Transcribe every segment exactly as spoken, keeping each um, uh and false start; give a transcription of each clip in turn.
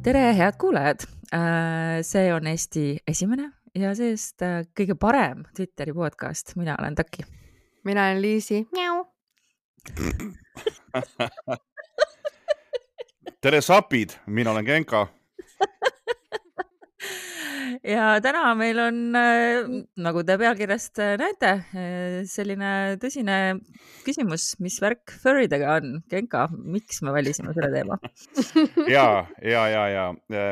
tere, head kuulajad! See on Eesti esimene ja seest kõige parem Twitteri podcast. Mina olen Taki. Mina olen Liisi. Miau. Tere sapid, mina olen Genka. Ja täna meil on, nagu te pealkirjast näete, selline tõsine küsimus, mis värk furridega on. Genka, miks me valisime selle teema? ja, ja, ja, ja.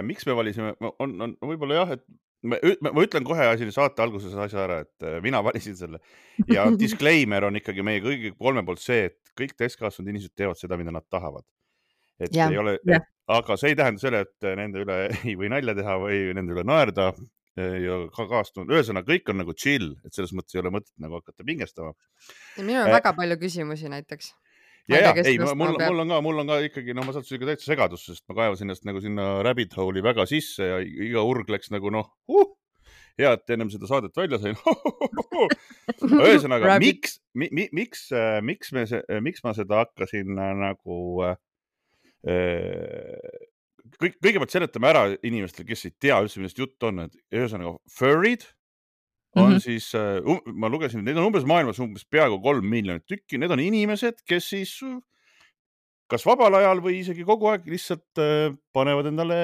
Miks me valisime? On, on võib-olla jah, et ma, ma ütlen kohe asja saate alguses asja ära, et mina valisin selle. Ja disclaimer on ikkagi meie kõigi kolme poolt see, et kõik täiskasvanud inimesed teevad seda, mida nad tahavad. Et Ja, ei ole, jah. et, aga see ei tähenda selle, et nende üle ei või nalja teha või nende üle naerda ja ka kaastunud. Ühesõnaga, kõik on nagu chill, et selles mõttes ei ole mõtet nagu hakata pingestama. ja minul on Äh, väga palju küsimusi näiteks. Ma Ja, ei ja, tea, kes ei, sellest mul, nagu peab. mul on ka, mul on ka ikkagi, no ma sattusin ikka täitsa segadusse, sest ma kaevasin ennast nagu sinna rabbit hole'i väga sisse ja iga urg läks nagu noh, uh, hea, et ennem seda saadet välja sain. Ühesõnaga, Rabbit. miks, mi, mi, miks, äh, miks, me, se- miks ma seda hakkasin äh, nagu äh, kõik, kõigepealt seletame ära inimestele, kes ei tea üldse, millest jutt on, et ühesõnaga furrid on Mhm. siis, äh, um, ma lugesin, neid on umbes maailmas umbes peaaegu kolm miljonit tükki, need on inimesed, kes siis äh, kas vabal ajal või isegi kogu aeg lihtsalt äh, panevad endale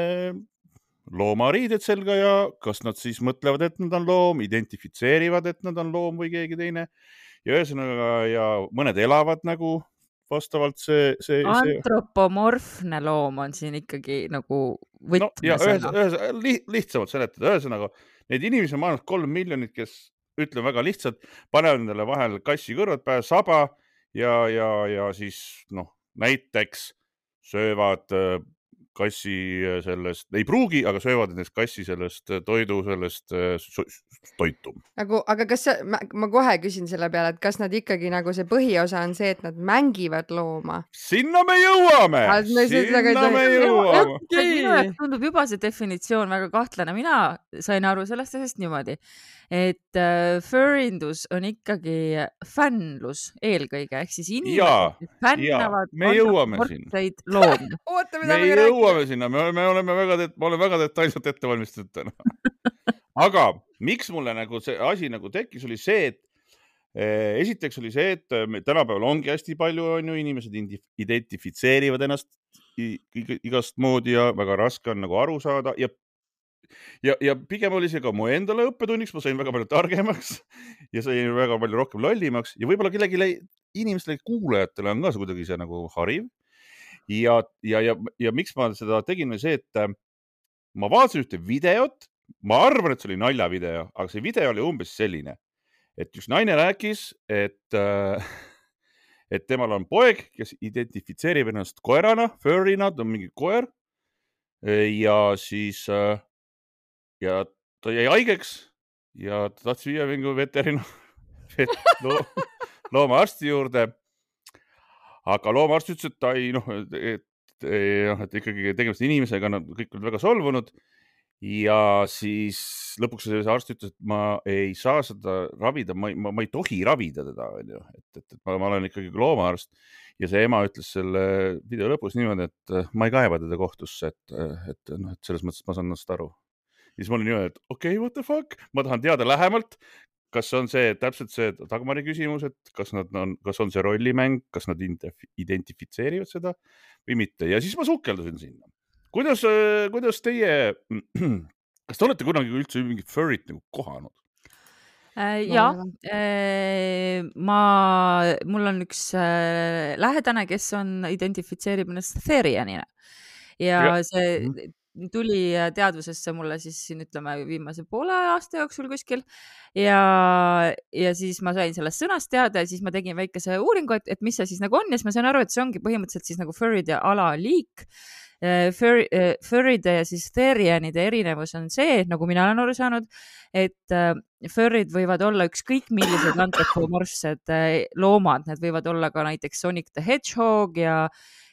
loomariided selga ja kas nad siis mõtlevad, et nad on loom, identifitseerivad, et nad on loom või keegi teine. Ja ühesõnaga, ja mõned elavad nagu vastavalt see, see, see. Antropomorfne loom on siin ikkagi nagu No ja ühes, võtmesõna. ühes, li, lihtsamalt seletada, ühesõnaga neid inimesi on maailmas kolm miljonit, kes ütlen väga lihtsalt, panevad endale vahel kassi kõrvad pähe, saba ja, ja, ja siis noh, näiteks söövad äh, kassi äh, sellest, ei pruugi, aga söövad näiteks kassi sellest äh, toidu, sellest äh, so- toitu. Nagu, aga kas see, ma, ma kohe küsin selle peale, et kas nad ikkagi nagu see põhiosa on see, et nad mängivad looma? Sinna me jõuame, Ah, me seda ka ei sinna me tohi- jõuame. Okei. Minu jaoks tundub juba see definitsioon väga kahtlane. Mina sain aru sellest asjast niimoodi, et äh, furrindus on ikkagi fännlus eelkõige, ehk siis Jaa, inimesed, kes fännavad jaa, me jõuame antropomorfseid loomi. Oota, Me mida me räägime? jõuame sinna, me oleme, oleme väga, ma olen väga detailselt ette valmistatud täna. Aga miks mulle nagu see asi nagu tekkis, oli see, et eh, esiteks oli see, et me tänapäeval ongi hästi palju on ju inimesed indi- identifitseerivad ennast i- i- igast moodi ja väga raske on nagu aru saada ja Ja, ja pigem oli see ka mu endale õppetunniks, ma sain väga palju targemaks ja sain väga palju rohkem lollimaks ja võib-olla kellegi inimestele, kuulajatele on ka see kuidagi see nagu hariv. Ja, ja, ja, ja miks ma seda tegin, oli see, et äh, ma vaatasin ühte videot, ma arvan, et see oli naljavideo, aga see video oli umbes selline, et üks naine rääkis, et, äh, et temal on poeg, kes identifitseerib ennast koerana, furrina, ta on mingi koer ja siis äh, ja ta jäi haigeks ja ta tahtis viia mingi veterina vet, lo, loomaarsti juurde. Aga loomaarst ütles, et ta ei, noh, et, et, et ikkagi tegemist inimesega, nad kõik olid väga solvunud. Ja siis lõpuks see arst ütles, et ma ei saa seda ravida, ma ei, ma, ma ei tohi ravida teda, et, et, et ma, ma olen ikkagi loomaarst. Ja see ema ütles selle video lõpus niimoodi, et ma ei kaeva teda kohtusse, et, et, noh, et selles mõttes ma saan ennast aru. Ja siis ma olin niimoodi, et okei, okay, what the fuck, ma tahan teada lähemalt, kas on see täpselt see Dagmari küsimus, et kas nad on, kas on see rollimäng, kas nad identifitseerivad seda või mitte. Ja siis ma sukeldusin sinna. Kuidas, kuidas teie, kas te olete kunagi üldse mingit furrit nagu kohanud? Äh, ja, äh, ma, mul on üks äh, lähedane, kes on identifitseerib ennast Therianina ja, ja see mm. tuli teadvusesse mulle siis siin ütleme viimase poole aasta jooksul kuskil ja, ja siis ma sain sellest sõnast teada ja siis ma tegin väikese uuringu, et, et mis see siis nagu on ja siis ma sain aru, et see ongi põhimõtteliselt siis nagu furride alaliik. Fur, furride ja siis therianide erinevus on see, nagu mina olen aru saanud, et furrid võivad olla ükskõik millised antropomorfsed loomad, need võivad olla ka näiteks Sonic the Hedgehog ja,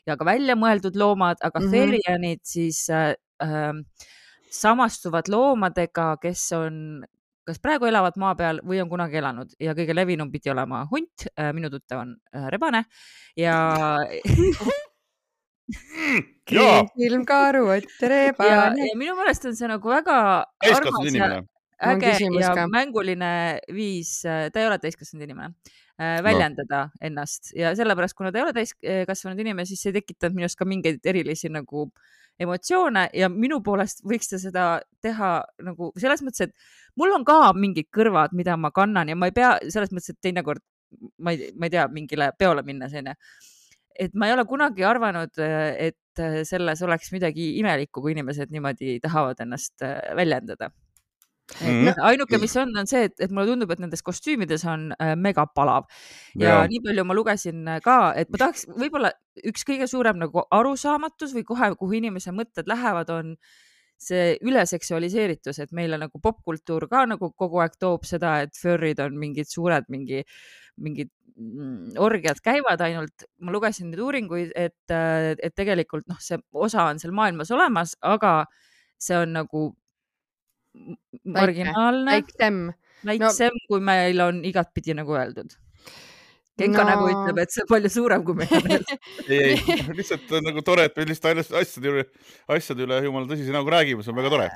ja ka välja mõeldud loomad, aga mm-hmm. therianid siis äh, samastuvad loomadega, kes on kas praegu elavad maa peal või on kunagi elanud ja kõige levinum pidi olema hunt, minu tuttav on rebane ja silmkaaru, tere, ja, pane. ja minu meelest on see nagu väga täiskasvanud armas ja inimene. Mul on äge küsimus ja ka. mänguline viis, ta ei ole täiskasvanud inimene, äh, No. väljendada ennast ja sellepärast, kuna ta ei ole täiskasvanud inimene, siis see tekitab minust ka mingeid erilisi nagu emotsioone ja minu poolest võiks ta seda teha nagu selles mõttes, et mul on ka mingid kõrvad, mida ma kannan ja ma ei pea selles mõttes, et teinekord ma ei, ma ei tea, mingile peole minna sinna. Et ma ei ole kunagi arvanud, et selles oleks midagi imelikku, kui inimesed niimoodi tahavad ennast väljendada. Mhm. No, ainuke, mis on, on see, et, et mulle tundub, et nendes kostüümides on äh, mega palav ja Jaa. nii palju ma lugesin äh, ka, et ma tahaks võib-olla üks kõige suurem nagu arusaamatus või kohe, kuhu inimese mõtted lähevad, on see üleseksualiseeritus, et meile nagu popkultuur ka nagu kogu aeg toob seda, et furrid on mingid suured, mingi, mingid mm, orgiad käivad ainult. Ma lugesin neid uuringuid, et, äh, et tegelikult noh, see osa on seal maailmas olemas, aga see on nagu marginaalne, väiksem. väiksem no, kui meil on igatpidi nagu öeldud. Genka No. nagu ütleb, et see on palju suurem, kui meil on öeldud. ei, ei, lihtsalt on nagu tore, et me lihtsalt asjade üle, asjade üle jumala tõsise nagu räägime, see on väga tore.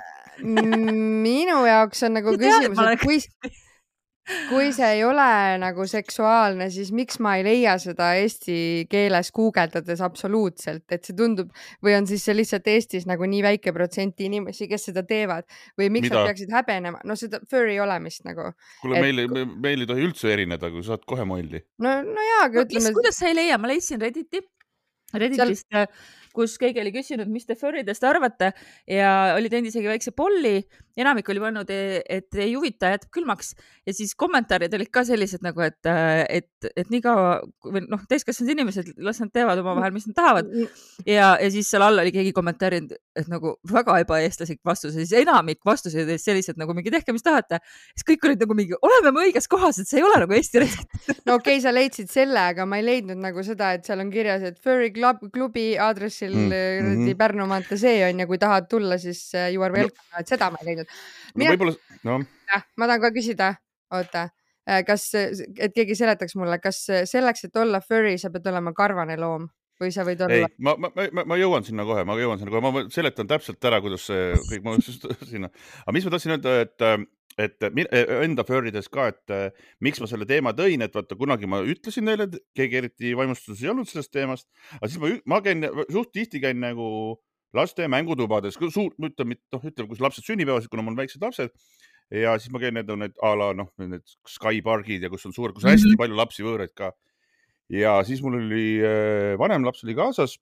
Minu jaoks on nagu Ma tean, küsimus, ma olen- et kui, kui see ei ole nagu seksuaalne, siis miks ma ei leia seda eesti keeles guugeldades absoluutselt, et see tundub või on siis see lihtsalt Eestis nagu nii väike protsenti inimesi, kes seda teevad või miks Mida? nad peaksid häbenema, no seda furry olemist nagu. Kuule, Et- meil, me- meil ei tohi üldse erineda, kui saad kohe molli. No, no jaa, aga No, mis, ütleme, kuidas sa ei leia? Ma leidsin Redditi, Redditist, Seal... kus keegi oli küsinud, mis te furridest arvate ja oli teinud isegi väikse polli. Enamik oli pannud, et ei huvita, jätab külmaks ja siis kommentaarid olid ka sellised nagu, et, et, et nii kaua, noh, täiskasvanud inimesed, las nad teevad oma vahel, mis nad tahavad. Ja, ja siis seal all oli keegi kommentaarinud, et nagu väga ebaeestlaslik vastus, siis enamik vastuseid olid sellised nagu mingi tehke, mis tahate. Siis kõik olid nagu mingi, oleme me õiges kohas, et see ei ole nagu Eesti retsilt. no okei okay,, sa leidsid selle, aga ma ei leidnud nagu seda, et seal on kirjas, et furry club, klubi aadressil mm -hmm. Pärnu maantee see on ja kui tahad tulla, siis you are welcome no., et seda ma ei leidnud. No, võib-olla, no. Ma tahan ka küsida, oota, kas, et keegi seletaks mulle, kas selleks, et olla furry, sa pead olema karvane loom või sa võid olla? Ei, ma, ma, ma, ma jõuan sinna kohe, ma jõuan sinna kohe, ma seletan täpselt ära, kuidas see kõik, ma sinna, aga mis ma tahtsin öelda, et et enda furrides ka, et miks ma selle teema tõin, et vaata, kunagi ma ütlesin neile, et keegi eriti vaimustuses ei olnud sellest teemast, aga siis ma, ma käin, suht tihti käin nagu laste mängutubades, suur, ütleme, noh, ütleme, kus lapsed sünnipäevasid, kuna mul on väiksed lapsed ja siis ma käin need, need a la, noh, need Skypargid ja kus on suur, kus hästi mm -hmm. palju lapsi võõraid ka. Ja siis mul oli vanem laps oli kaasas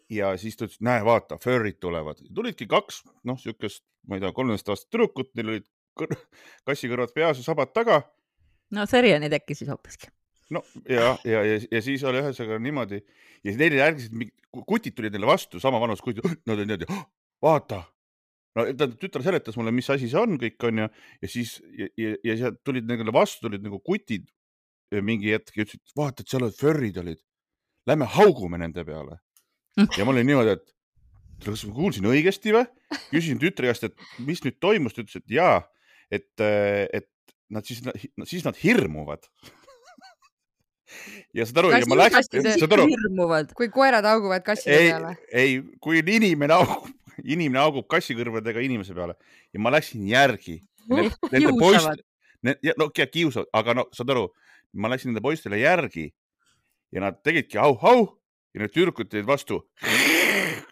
ja siis ta ütles, näe, vaata, furrid tulevad. Tulidki kaks, noh, siukest, ma ei tea, kolmteist aastat tüdrukut, neil olid kõr kassikõrvad peas ja sabad taga. No Seriani tekkis siis hoopiski. No ja, ja, ja, ja siis oli ühesõnaga niimoodi ja neile järgisid, kutid tulid neile vastu, sama vanus kutid, nad olid niimoodi, vaata. No tütar seletas mulle, mis asi see on, kõik on ja, ja siis ja, ja, ja sealt tulid neile vastu, tulid nagu kutid mingi hetk ja ütlesid, vaata, et seal olid furrid olid. Lähme haugume nende peale. Ja ma olin niimoodi, et kas ma kuulsin õigesti või? Küsisin tütre käest, et mis nüüd toimus, ta ütles, et jaa, et, et nad siis, siis nad hirmuvad. Ja saad aru, ja ma läksin, saad aru, kui koerad auguvad kasside ei, peale. Ei, kui inimene augub, inimene augub kassikõrvadega inimese peale ja ma läksin järgi. Nende, nende poist, ne, no kiusavad, aga no saad aru, ma läksin nende poistele järgi ja nad tegidki au, au ja need tüdrukud teid vastu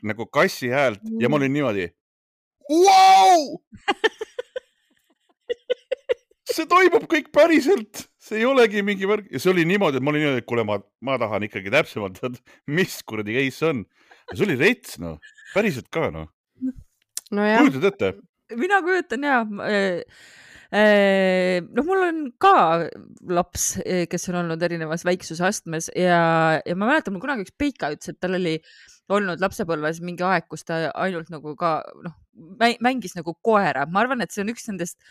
nagu kassi häält ja ma olin niimoodi. Wow! See toimub kõik päriselt, see ei olegi mingi värk ja see oli niimoodi, et ma olin niimoodi, et kuule, ma, ma tahan ikkagi täpsemalt, mis kuradi case on. Ja see oli rets, no, päriselt ka, no. No jah. Kujutad ette? Mina kujutan, jah. Noh, mul on ka laps, kes on olnud erinevas väiksusastmes ja, ja ma mäletan, mul kunagi üks Peika ütles, et tal oli olnud lapsepõlves mingi aeg, kus ta ainult nagu ka, noh, mängis nagu koera. Ma arvan, et see on üks nendest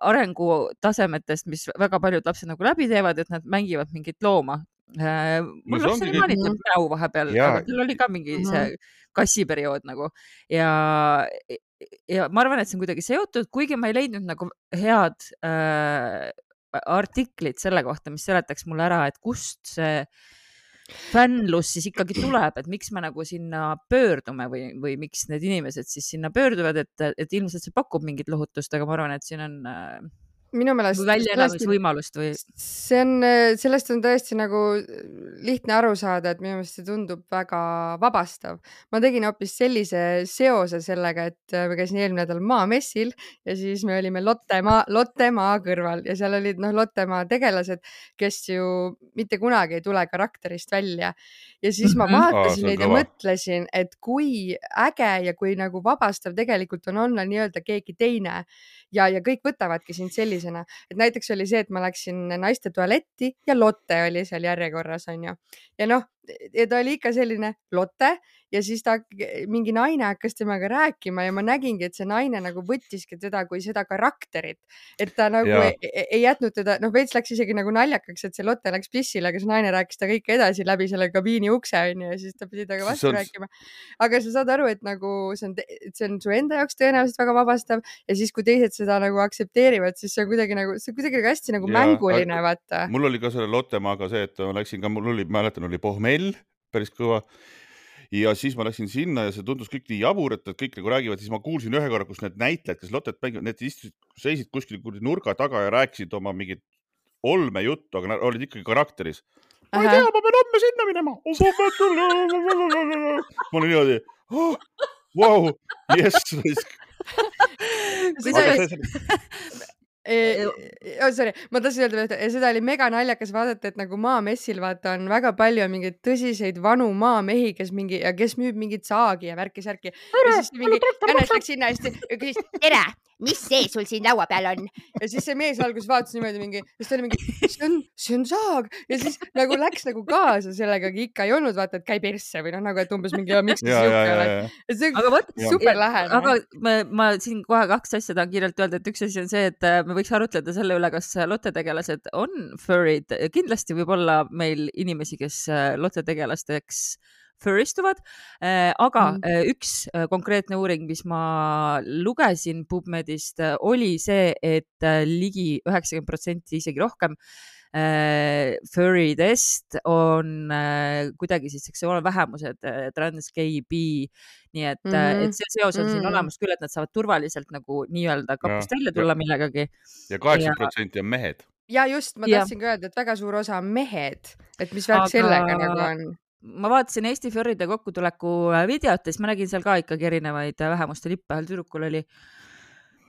arengutasemetest, mis väga paljud lapsed nagu läbi teevad, et nad mängivad mingit looma. Mul no, laps oli maanitud näu vahepeal, aga tal oli ka mingi see kassiperiood nagu ja, ja ma arvan, et see on kuidagi seotud, kuigi ma ei leidnud nagu head äh, artiklit selle kohta, mis seletaks mulle ära, et kust see fännlus siis ikkagi tuleb, et miks me nagu sinna pöördume või, või miks need inimesed siis sinna pöörduvad, et, et ilmselt see pakub mingit lohutust, aga ma arvan, et siin on minu meelest väljaelamisvõimalust või see on, sellest on tõesti nagu lihtne aru saada, et minu meelest see tundub väga vabastav. Ma tegin hoopis sellise seose sellega, et ma käisin eelmine nädal maamessil ja siis me olime Lottemaa, Lottemaa kõrval ja seal olid noh, Lottemaa tegelased, kes ju mitte kunagi ei tule karakterist välja. Ja siis ma vaatasin neid ja mõtlesin, et kui äge ja kui nagu vabastav tegelikult on olla nii-öelda keegi teine ja, ja kõik võtavadki sind sellisena, et näiteks oli see, et ma läksin naiste tualetti ja Lotte oli seal järjekorras, on ju. Ja noh, ja ta oli ikka selline Lotte ja siis ta mingi naine hakkas temaga rääkima ja ma nägingi, et see naine nagu võttiski teda kui seda karakterit, et ta nagu ei, ei jätnud teda, noh veits läks isegi nagu naljakaks, et see Lotte läks pissile, aga see naine rääkis ta kõik edasi läbi selle kabiini ukse, on ju, ja siis ta pidi taga vastu on... rääkima. Aga sa saad aru, et nagu see on, see on su enda jaoks tõenäoliselt väga vabastav ja siis, kui teised seda nagu aktsepteerivad, siis see on kuidagi nagu, see on kuidagi hästi nagu ja, mänguline, vaata. Mul oli ka selle Lottemaaga see, et ma läksin ka, mul oli, mäletan, oli pohmell, päris kõva. Ja siis ma läksin sinna ja see tundus kõik nii jabur, et kõik nagu räägivad, siis ma kuulsin ühe korra, kus need näitlejad, kes Lottet mängivad, need istusid, seisid kuskil nurga taga ja rääkisid oma mingit olme juttu, aga nad olid ikkagi karakteris. Ma ei tea, ma pean homme sinna minema. Ma olin niimoodi, oh, wow, yes. E, oh, sorry, ma tahtsin öelda, et seda oli mega naljakas vaadata, et nagu maamessil vaata on väga palju mingeid tõsiseid vanu maamehi, kes mingi, ja kes müüb mingit saagi ja värki särki. Ja siis mingi Jannes läks sinna hästi ja küsis, tere, mis see sul siin laua peal on? Ja siis see mees algus vaatas niimoodi mingi, siis ta oli mingi, see on, see on saag. Ja siis nagu läks nagu kaasa sellega, ikka ei olnud vaata, et käi persse või noh, nagu, et umbes mingi, miks see juhke oled. See on super lähene. Aga ma, ma siin kohe kaks asja tahan kiirelt öelda, et üks asi on see, et me võiks arutleda selle üle, kas Lotte tegelased on furrid. Kindlasti võib olla meil inimesi, kes Lotte tegelasteks furristuvad, aga mm. üks konkreetne uuring, mis ma lugesin PubMedist, oli see, et ligi üheksakümmend protsenti isegi rohkem furridest on kuidagi siis seksuaalvähemused, trans, gay, bi, nii et, mm-hmm. et see seos on mm-hmm. siin olemas küll, et nad saavad turvaliselt nagu nii-öelda kapust ja, välja tulla ja, millegagi. Ja kaheksakümmend protsenti on mehed. Ja just, ma tahtsin ka öelda, et väga suur osa on mehed, et mis värk aga... sellega nagu on. Ma vaatasin Eesti furride kokkutuleku videot ja siis ma nägin seal ka ikkagi erinevaid vähemuste lippe. Ühel tüdrukul oli,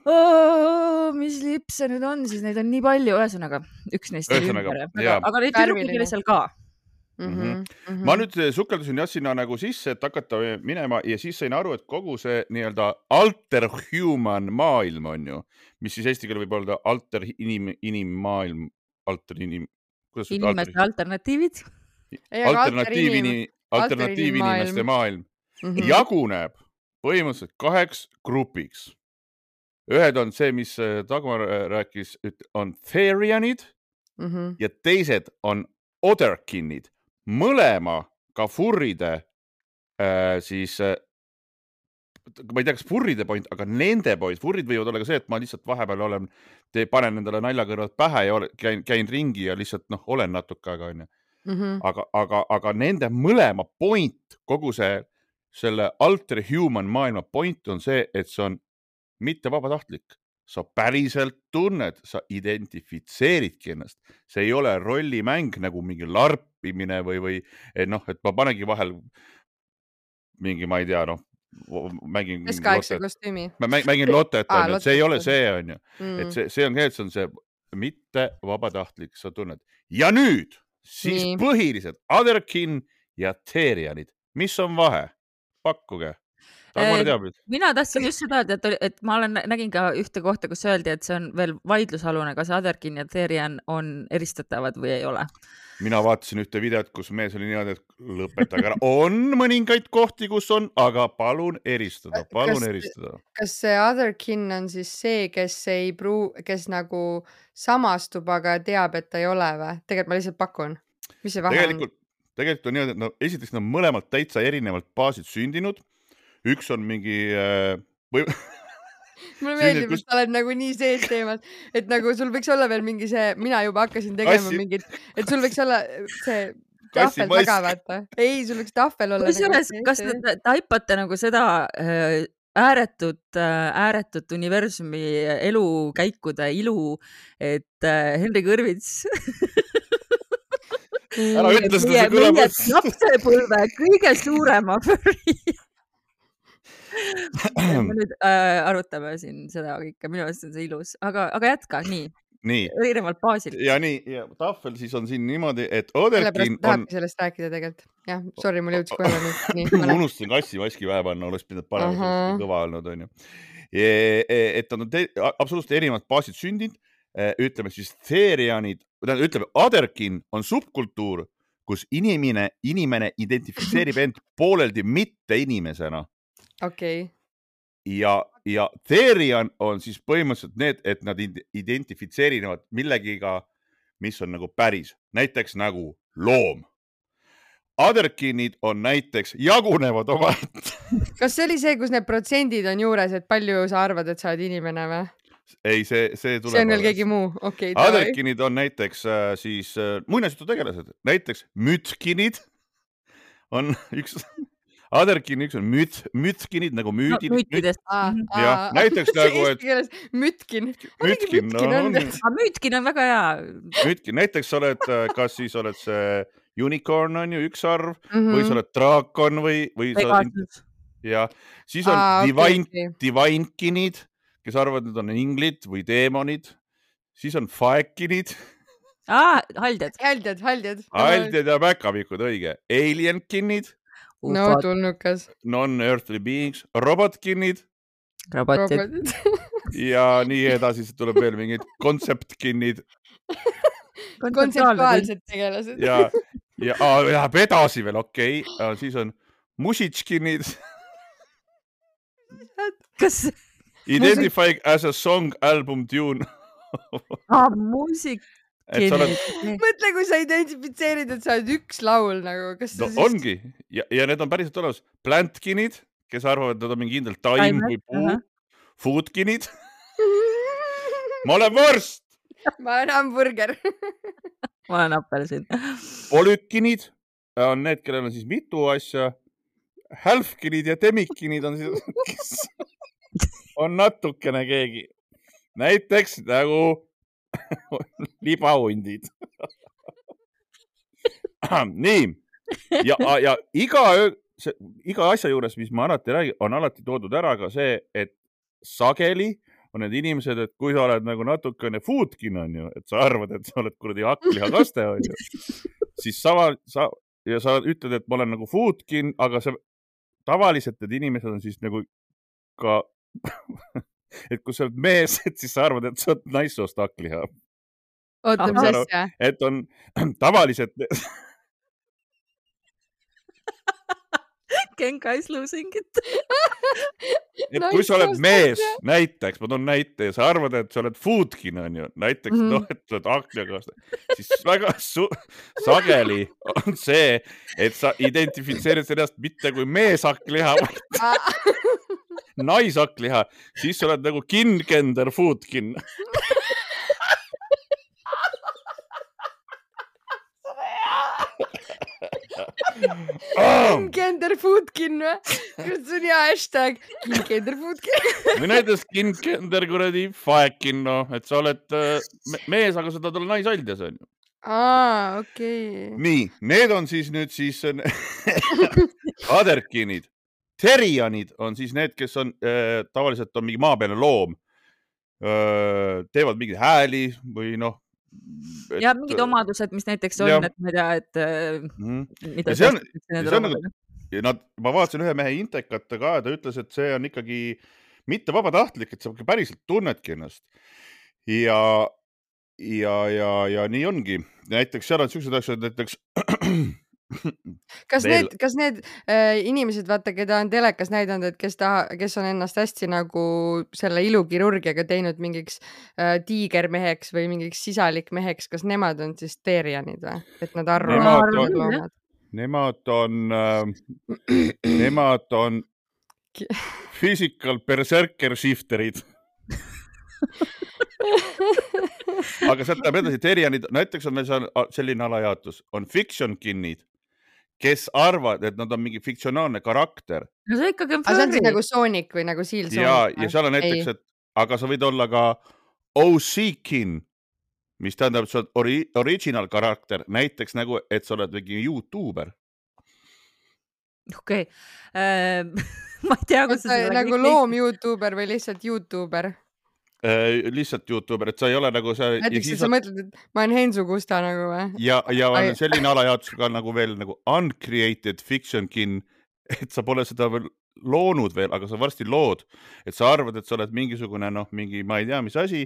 oh, mis lipp see nüüd on, siis neid on nii palju, ühesõnaga üks neist oli ümber. Aga, aga neid tüdrukud oli seal ka. Mm-hmm. Mm-hmm. Ma nüüd sukeldusin jah sinna nagu sisse, et hakata minema ja siis sain aru, et kogu see nii-öelda alter human maailm on ju, mis siis eesti keele võib olla alter inim, inimmaailm, alter inim, inimeste alter... alternatiivid. Alternatiiv, inim, alternatiiv inimeste maailm, maailm mm-hmm. jaguneb põhimõtteliselt kaheks grupiks. Ühed on see, mis Dagmar rääkis, on Therianid mm-hmm. ja teised on Otherkinid. Mõlema ka furride äh, siis äh, ma ei tea, kas furride point, aga nende point, furrid võivad olla ka see, et ma lihtsalt vahepeal olen, te panen endale naljakõrvad pähe ja olen, käin, käin ringi ja lihtsalt noh, olen natuke aega on ju. Mm-hmm. Aga, aga, aga nende mõlema point, kogu see selle alter human maailma point on see, et see on mitte vabatahtlik. Sa päriselt tunned, sa identifitseeridki ennast. See ei ole rollimäng nagu mingi larpimine või, või et noh, et ma panegi vahel mingi, ma ei tea, noh, mängin kostüümi. Ma mängin Lottet, ah, on, see ei ole see, on ju. Mm. Et see, see on, see on see mitte vabatahtlik, sa tunned. Ja nüüd siis nii. Põhilised Otherkin ja Therianid. Mis on vahe? Pakkuge. Mina tahtsin just seda, et, et ma olen, nägin ka ühte kohta, kus öeldi, et see on veel vaidlusalune, kas Otherkin ja Therian on eristatavad või ei ole. Mina vaatasin ühte videot, kus mees oli niimoodi, et lõpetage ära. On mõningaid kohti, kus on, aga palun eristada, palun kas, eristada. Kas see Otherkin on siis see, kes ei pruu, kes nagu samastub, aga teab, et ta ei ole või? Tegelikult ma lihtsalt pakun. Mis see vahe tegelikult, on? Tegelikult on niimoodi, et no, esiteks nad mõlemad täitsa erinevalt baasid sündinud. Üks on mingi äh, või... Mulle meeldib, kus... et sa oled nagu nii sees teemas, et nagu sul võiks olla veel mingi see, mina juba hakkasin tegema Assi. Mingit, et sul võiks olla see tahvel taga, vaata. Ei, sul võiks tahvel olla. Kusjuures, kas te taipate nagu seda ääretut, ääretut universumi elukäikude ilu, et Henri Kõrvits ära ütle seda, see kõlab. Meie lapsepõlve kõige suurema furry. Me nüüd äh, arutame siin seda kõike, minu arust on see ilus, aga, aga jätka, nii. Nii. Erinevalt baasilt. Ja nii, ja tahvel siis on siin niimoodi, et Oderkin on... sellest rääkida tegelikult. Jah, sorry, mul jõudis kohe nüüd. Nii, unustasin kassi maski vähe panna, oleks pidanud parem kõva olnud, on ju. Et on te, absoluutselt erinevad baasid sündinud. Ütleme siis Therianid, ütleme, Oderkin on subkultuur, kus inimene, inimene identifitseerib end pooleldi mitte inimesena. Okei. Okay. Ja, ja Therian on siis põhimõtteliselt need, et nad identifitseerivad millegiga, mis on nagu päris. Näiteks nagu loom. Oderkinid on näiteks jagunevad oma. Kas see oli see, kus need protsendid on juures, et palju sa arvad, et sa oled inimene või? Ei, see, see tuleb. See on veel keegi muu. Okay, Oderkinid on näiteks äh, siis äh, muinasjutu tegelased. Näiteks mütkinid on üks... Oderkin üks on müt, mütkinid nagu müüdid. No, müütidest. Ah, ja, ah, näiteks nagu, et... Mütkin. Mütkin, no, on. No, mütkin on väga hea. Mütkin, näiteks sa oled, kas siis oled see unicorn on ju üks arv mm -hmm. või sa oled draakon või... või sa... Ja siis on ah, divine, okay, okay. divinekinid, kes arvavad, et on inglid või deemonid. Siis on faekinid. Ah, haldjad. Haldjad, haldjad. Haldjad ja päkavikud, õige. Alienkinid. No, tulnukas. Non-earthly beings. Robotkinid. Robotid. Ja nii edasi, tuleb veel mingid kontseptkinid. Kontseptuaalsed tegelased. Ja, ja, ja edasi veel, okei. Okay. Siis on musitškinid. Kas... Identify as a song album tune. ah, muusik. Oled... Mõtle, kui sa identifitseerid, et sa oled üks laul nagu. Kas no siis... ongi. Ja, ja need on päriselt olemas. Plantkinid, kes arvavad, et nad on mingi kindel taim või puu. Uh -huh. Foodkinid. Ma olen vorst. Ma olen hamburger. Ma olen appelsin. Polükkinid on need, kellel on siis mitu asja. Halfkinid ja demikkinid on siis, kes on natukene keegi. Näiteks nagu libahundid. Nii. Ja, ja iga, see, iga asja juures, mis ma alati räägin, on alati toodud ära ka see, et sageli on need inimesed, et kui sa oled nagu natukene foodkin, on ju, et sa arvad, et sa oled kuradi hakkliha on ju, siis sama, sa, ja sa ütled, et ma olen nagu foodkin, aga see tavaliselt need inimesed on siis nagu ka, et kui sa oled mees, et siis sa arvad, et sa oled naissoost hakkliha. Oota, mis asja? Et on tavaliselt... Genka is losing it. Et kui sa oled mees, näiteks, ma toon näite, ja sa arvad, et sa oled foodkin, on ju, näiteks, mm -hmm. noh, et sa oled hakkliha, siis väga su sageli on see, et sa identifitseerid ennast mitte kui mees hakkliha, nais hakkliha, siis sa oled nagu kin-gender foodkin. Kin-gender foodkin või? Kus on hea hashtag? Kin-gender foodkin. Või näiteks kin-gender kuradi faekin, noh, et sa oled me mees, aga sa tahad olla naisaldjas, on ju. Aa, okei. Okay. Nii, need on siis nüüd siis Oderkinid. Therianid on siis need, kes on äh, tavaliselt on mingi maapealne loom. Äh, teevad mingeid hääli või noh. Et, ja mingid omadused, mis näiteks on, ja, et ma ei tea, et mm. mida see on, see on nagu, nad, ma vaatasin ühe mehe intekata ka, ta ütles, et see on ikkagi mitte vabatahtlik, et sa päriselt tunnedki ennast. Ja, ja, ja, ja nii ongi. Näiteks seal on sellised asjad, näiteks kas Veel... need, kas need äh, inimesed, vaata, keda on telekas näidanud, et kes, ta, kes on ennast hästi nagu selle ilukirurgiaga teinud mingiks äh, tiigermeheks või mingiks sisalikmeheks, kas nemad on siis Therianid või? Et nad arvavad nemad on, nemad on, äh, nemad on physical berserker shifterid. aga sealt läheb edasi Terianid, näiteks on meil selline alajaotus, on fiction kinnid, kes arvad, et nad on mingi fiktsionaalne karakter. No see ikkagi on aga see on furry. siis nagu Sonic või nagu Seal Sonic? Ja, ja seal on näiteks, et aga sa võid olla ka O C kin, mis tähendab, et sa oled ori original karakter, näiteks nagu, et sa oled mingi YouTuber. Okei. Okay. Ma ei tea, kus sa nagu loom YouTuber või lihtsalt YouTuber? Äh, lihtsalt YouTuber, et sa ei ole nagu see... Näiteks, et sa on... mõtled, et ma olen Hensu Kusta nagu või? Ja, ja on Ai... selline alajaotus ka nagu veel nagu uncreated fiction kin, et sa pole seda veel loonud veel, aga sa varsti lood, et sa arvad, et sa oled mingisugune, noh, mingi, ma ei tea, mis asi,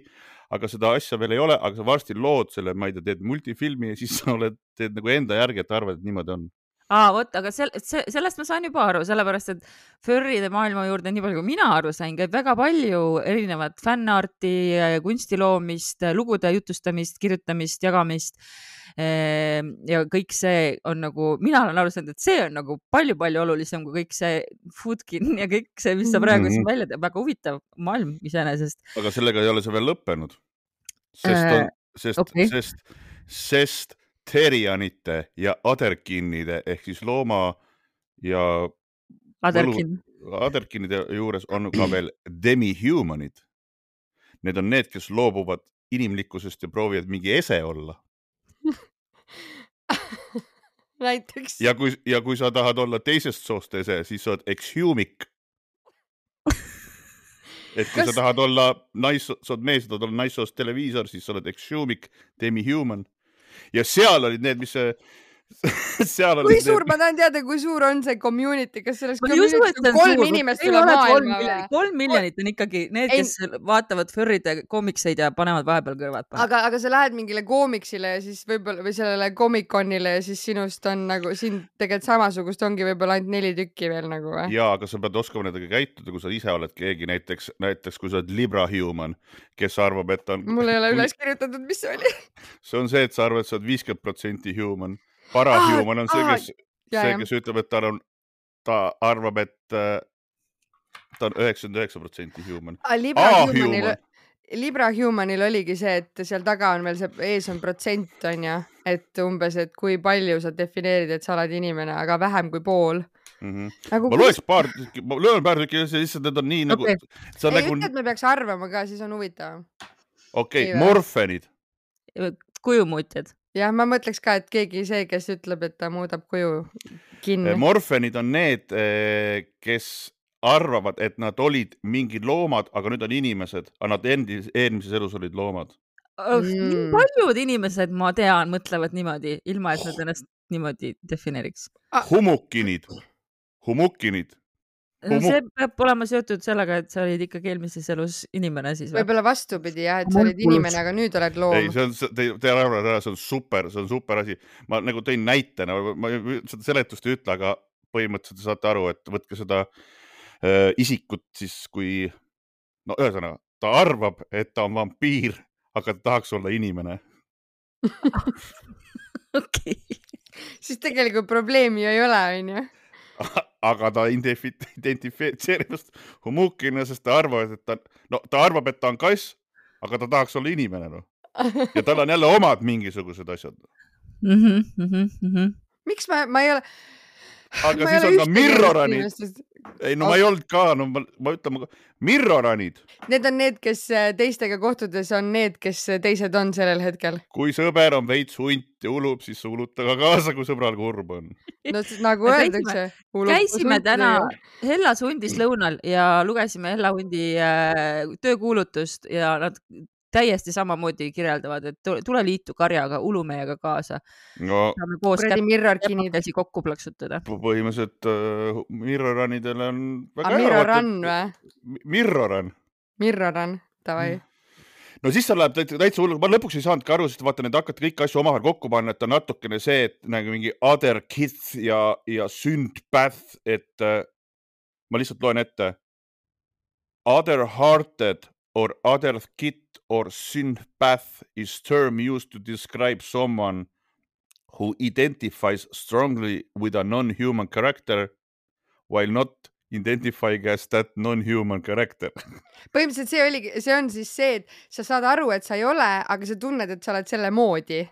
aga seda asja veel ei ole, aga sa varsti lood selle, ma ei tea, teed multifilmi ja siis sa oled, teed nagu enda järgi, et arvad, et niimoodi on. Aa, vot, aga sel, see, sellest ma saan juba aru, sellepärast, et furride maailma juurde, nii palju kui mina aru sain, käib väga palju erinevat fännarti, kunstiloomist, lugude jutustamist, kirjutamist, jagamist. Ja kõik see on nagu, mina olen aru saanud, et see on nagu palju-palju olulisem kui kõik see foodkin ja kõik see, mis sa praegu siin välja teeb. Väga huvitav maailm iseenesest. Aga sellega ei ole see veel lõppenud. Sest, on, sest, okay. sest, sest Terianite ja Aderkinide ehk siis looma ja Aderkin. Aderkinide juures on ka veel demi-humanid. Need on need, kes loobuvad inimlikkusest ja proovivad mingi ese olla. Näiteks. Ja kui, ja kui sa tahad olla teisest soost ese, siis sa oled exhumic. Et kui Kas... sa tahad olla nais, sa oled mees, sa tahad olla naissoost televiisor, siis sa oled exhumic, demi-human. Ja seal olid need, mis see... Seal kui olid suur, need... ma tahan teada, kui suur on see community, kas selles ma community on kolm suur. Inimest üle maailma? Kolm miljonit on ikkagi need, kes ei... vaatavad furride koomikseid ja panevad vahepeal kõrvad. Aga, aga sa lähed mingile koomiksile ja siis võib-olla või sellele Comic-Conile ja siis sinust on nagu, siin tegelikult samasugust ongi võib-olla ainult neli tükki veel nagu või? Jaa, aga sa pead oskama nendega käituda, kui sa ise oled keegi, näiteks, näiteks kui sa oled Libra Human, kes arvab, et on... Mul ei ole üles kirjutatud, mis see oli. See on see, et sa arvad, et sa oled viiskümmend protsenti human. Parahuman on see, kes, see, kes ütleb, et ta, on, ta arvab, et uh, ta on üheksakümmend üheksa protsenti human. Libra, humanil, Libra Humanil oligi see, et seal taga on veel see, ees on protsent, on ja, et umbes, et kui palju sa defineerid, et sa oled inimene, aga vähem kui pool. Mm-hmm. Nagu, ma loeks paar, ma löön paar tükki, lihtsalt need on nii okay. nagu... Ei, nagu... ütle, et me peaks arvama ka, siis on huvitav. Okei, okay. Morfenid. Kujumuutjad. Ja ma mõtleks ka, et keegi see, kes ütleb, et ta muudab kuju kinni. Morfenid on need, kes arvavad, et nad olid mingid loomad, aga nüüd on inimesed, aga nad endis, eelmises elus olid loomad. Mm. Paljud inimesed, ma tean, mõtlevad niimoodi, ilma et nad ennast niimoodi defineeriks. Humukinid. Humukinid. Humuk... See peab olema seotud sellega, et sa olid ikkagi eelmises elus inimene siis. Võib-olla vastupidi, jah, et sa olid inimene, aga nüüd oled loom. Ei, see on, te, te arvavad, see on super, see on super asi. Ma nagu tõin näitena, ma seda seletust ei ütle, aga põhimõtteliselt saate aru, et võtke seda äh, isikut siis, kui, no ühesõnaga, ta arvab, et ta on vampiir, aga ta tahaks olla inimene. Okei. Siis tegelikult probleemi ei ole, on ju? Aga ta identifitseerib humukina, sest ta arvab, et ta, no, ta arvab, et ta on kass, aga ta tahaks olla inimene. No. Ja tal on jälle omad mingisugused asjad. Mm-hmm, mm-hmm. Miks ma, ma ei ole... Aga ma siis on ka mirroranid. Ei, no ma ei olnud ka, no ma, ma ütlen, mirroranid. Need on need, kes teistega kohtudes on need, kes teised on sellel hetkel. Kui sõber on veits hunt ja ulub, siis uluta ka kaasa, kui sõbral kurb on. No nagu öeldakse. Käisime täna Hellas hundis lõunal ja lugesime Hella hundi äh, töökuulutust ja nad täiesti samamoodi kirjeldavad, et tule liitu karjaga, ulu meiega kaasa. No, saame koos käsi kokku plaksutada. Põhimõtteliselt uh, mirroranidele on väga hea. Mirroran või? Mirroran. Mirroran, tavai. No siis ta läheb täitsa hullu. Ma lõpuks ei saanudki aru, sest vaata, need hakati kõik asju omavahel kokku panna, et on natukene see, et nagu mingi other kids ja, ja syndpath, et uh, ma lihtsalt loen ette. Other hearted or other kid or sympath is term used to describe someone who identifies strongly with a non-human character while not identifying as that non-human character. Põhimõtteliselt see oli, see on siis see, et sa saad aru, et sa ei ole, aga sa tunned, et sa oled selle moodi.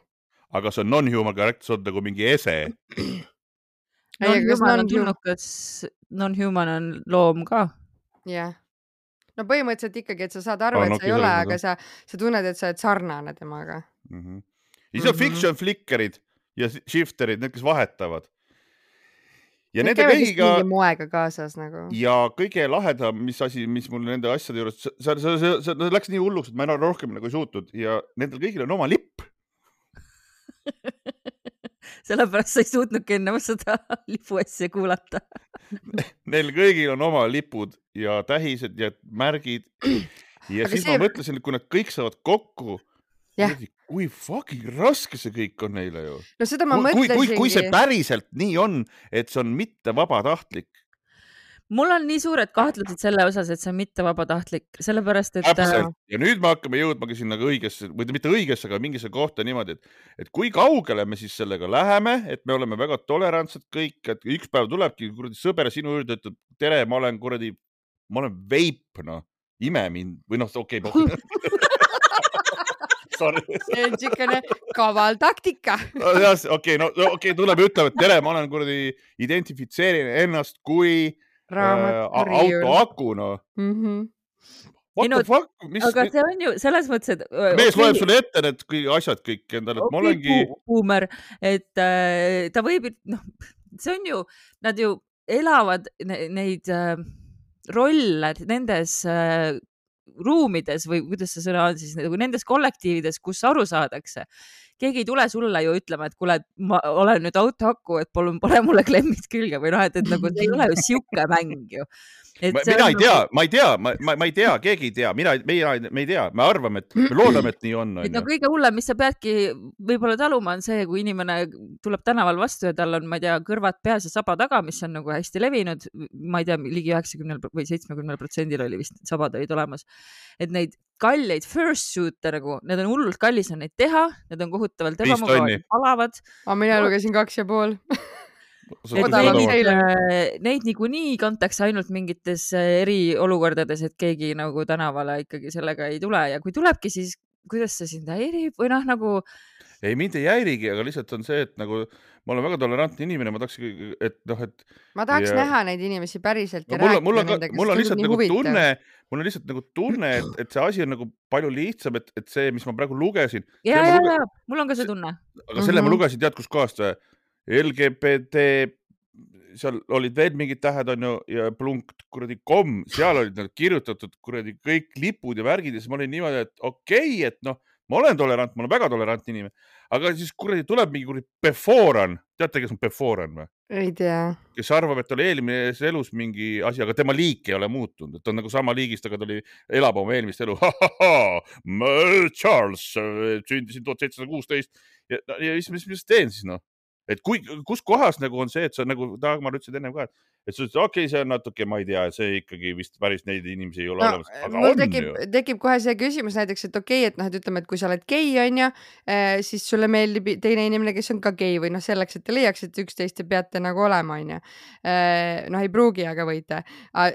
Aga see on non-human character, see on nagu mingi ese. Non-human on tulnukas, non-human on loom ka. Jah. No põhimõtteliselt ikkagi, et sa saad aru, et sa ei ole, aga sa, sa tunned, et sa oled sarnane temaga. Mm-hmm. Ja see on fiction flickerid ja shifterid, need, kes vahetavad. Ja need nende kõigiga moega kaasas nagu. Ja kõige lahedam, mis asi, mis mul nende asjade juures, see, see, see, see läks nii hulluks, et ma enam rohkem nagu ei suutnud ja nendel kõigil on oma lipp. Sellepärast sa ei suutnudki enne seda lipu asja kuulata. Neil kõigil on oma lipud ja tähised ja märgid. Ja aga siis see... ma mõtlesin, et kui nad kõik saavad kokku, kui fucking raske see kõik on neile ju. No seda ma kui, mõtlesingi. Kui, kui see päriselt nii on, et see on mitte vabatahtlik. Mul on nii suured kahtlused selle osas, et see on mitte vabatahtlik, sellepärast, et... Täpselt. Ja nüüd me hakkame jõudmagi sinna õigesse, või mitte õigesse, aga mingisse kohta niimoodi, et, et kui kaugele me siis sellega läheme, et me oleme väga tolerantsed kõik, et üks päev tulebki kuradi sõber sinu juurde, ütleb, tere, ma olen kuradi, ma olen veip, no, ime mind, või noh, okei, okay, see on tšikene kaval taktika. Okei, okay, no okei, okay, tuleb ütlema, et tere, ma olen kuradi identifitseerin ennast kui äh, auto aku, no. Mm-hmm. What no, the fuck? Mis, aga see on ju selles mõttes, et... Mees okay. Loeb sulle ette need kõik asjad kõik endale, et okay, ma olengi... Boomer, et äh, ta võib, noh, see on ju, nad ju elavad neid äh, rolle nendes... Äh, ruumides või kuidas see sõna on siis, nagu nendes kollektiivides, kus aru saadakse. Keegi ei tule sulle ju ütlema, et kuule, ma olen nüüd autohaku, et palun pane mulle klemmid külge või noh, et, et nagu see ei ole ju siuke mäng ju. Ma, mina ei tea, ma ei tea, ma, ma, ma ei tea, keegi ei tea, mina, meie, me ei tea, me arvame, et me loodame, et nii on. Et no kõige hullem, mis sa peadki võib-olla taluma on see, kui inimene tuleb tänaval vastu ja tal on, ma ei tea, kõrvad peas ja saba taga, mis on nagu hästi levinud, ma ei tea, ligi üheksakümne või seitsmekümne protsendil oli vist sabad olid olemas, et neid kalleid first suit'e nagu, need on hullult kallis on neid teha, need on kohutavalt ebamugavad, palavad. Aga mina lugesin kaks ja pool. Et neid, neid niikuinii kantakse ainult mingites eriolukordades, et keegi nagu tänavale ikkagi sellega ei tule ja kui tulebki, siis kuidas see sind häirib või noh nagu... Ei, mind ei häirigi, aga lihtsalt on see, et nagu ma olen väga tolerantne inimene, ma tahaks, et noh, et... Ma tahaks ja... näha neid inimesi päriselt ja no, rääkida mul on, nendega. Mul on lihtsalt nagu tunne, mul on lihtsalt nagu tunne, et, et see asi on nagu palju lihtsam, et, et see, mis ma praegu lugesin... Ja, ja, luge... ja, mul on ka see tunne. Aga selle mm-hmm. ma lugesin tead kus kohast L G B T, seal olid veel mingid tähed on ju ja plunk kuradi kom, seal olid nad kirjutatud kuradi kõik lipud ja värgid ja siis ma olin niimoodi, et okei, okay, et noh, ma olen tolerant, ma olen väga tolerantne inimene, aga siis kuradi tuleb mingi kuradi Beforan, teate, kes on Beforan või? Ei tea. Kes arvab, et oli eelmises elus mingi asi, aga tema liik ei ole muutunud, et on nagu sama liigist, aga ta oli, elab oma eelmist elu. Charles sündisin tuhat seitsesada kuusteist ja, ja mis, mis, mis teen siis noh? Et kui, kus kohas nagu on see, et sa nagu Dagmar ütlesid ennem ka, et sa ütlesid, okei, okay, see on natuke, ma ei tea, see ikkagi vist päris neid inimesi ei ole no, olemas. Aga mul on tekib, tekib kohe see küsimus näiteks, et okei, okay, et noh, et ütleme, et kui sa oled gei on ju, siis sulle meeldib teine inimene, kes on ka gei või noh, selleks, et te leiaks, et üksteist te peate nagu olema on ju. Noh, ei pruugi, aga võite.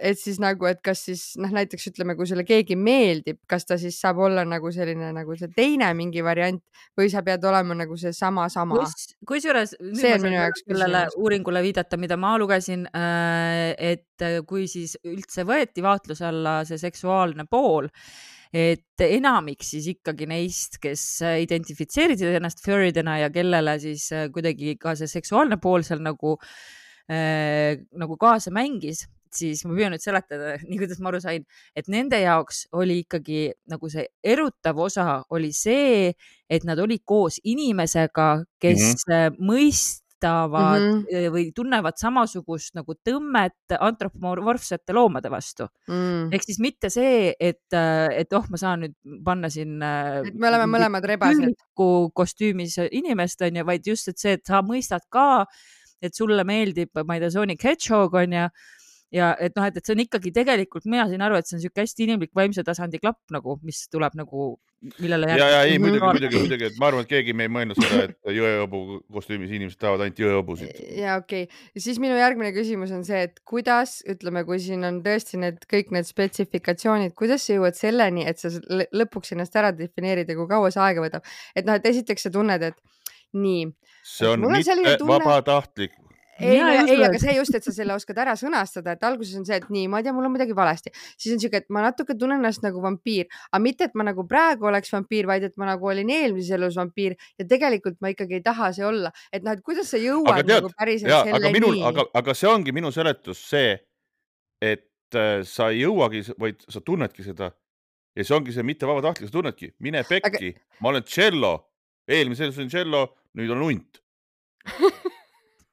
Et siis nagu, et kas siis noh, näiteks ütleme, kui sulle keegi meeldib, kas ta siis saab olla nagu selline nagu see teine mingi variant või sa pead olema nagu see sama sama. Kui suures see on minu jaoks sellele uuringule viidata, mida ma lugesin, et kui siis üldse võeti vaatluse alla see seksuaalne pool, et enamik siis ikkagi neist, kes identifitseerisid ennast furridena ja kellele siis kuidagi ka see seksuaalne pool seal nagu, nagu kaasa mängis, siis ma püüan nüüd seletada, nii kuidas ma aru sain, et nende jaoks oli ikkagi nagu see erutav osa oli see, et nad olid koos inimesega, kes mm-hmm. mõistavad mm-hmm. või tunnevad samasugust nagu tõmmet antropomorfsete loomade vastu. Mm. Ehk siis mitte see, et, et oh, ma saan nüüd panna siin et me oleme mõlemad rebased kostüümis inimest on ja vaid just, et see, et sa mõistad ka, et sulle meeldib, ma ei tea, Sonic Hedgehog on ja ja et noh, et, et see on ikkagi tegelikult, mina sain aru, et see on siuke hästi inimlik vaimse tasandi klapp nagu, mis tuleb nagu, millele ja, ja ei, muidugi, muidugi, muidugi, et ma arvan, et keegi me ei mõelnud seda, et jõeõbu kostüümis inimesed tahavad ainult jõeõbusid. Ja okei okay. Ja siis minu järgmine küsimus on see, et kuidas, ütleme, kui siin on tõesti need kõik need spetsifikatsioonid, kuidas sa jõuad selleni, et sa lõpuks ennast ära defineerid ja kui kaua see aega võtab, et noh, et esiteks sa tunned, et nii. See on mitte vabatahtlik. Ei, no, ei, aga see just, et sa selle oskad ära sõnastada, et alguses on see, et nii, ma ei tea, mul on midagi valesti. Siis on siuke, et ma natuke tunnen ennast nagu vampiir, aga mitte, et ma nagu praegu oleks vampiir, vaid et ma nagu olin eelmises elus vampiir ja tegelikult ma ikkagi ei taha see olla. Et noh, et kuidas sa jõuad tead, nagu päriselt ja, selle aga minul, nii? Aga, aga see ongi minu seletus see, et äh, sa ei jõuagi, vaid sa tunnedki seda. Ja see ongi see mitte vabatahtlik, sa tunnedki. Mine pekki, aga... ma olen cello. Eelmises elus on cello, nüüd on unt.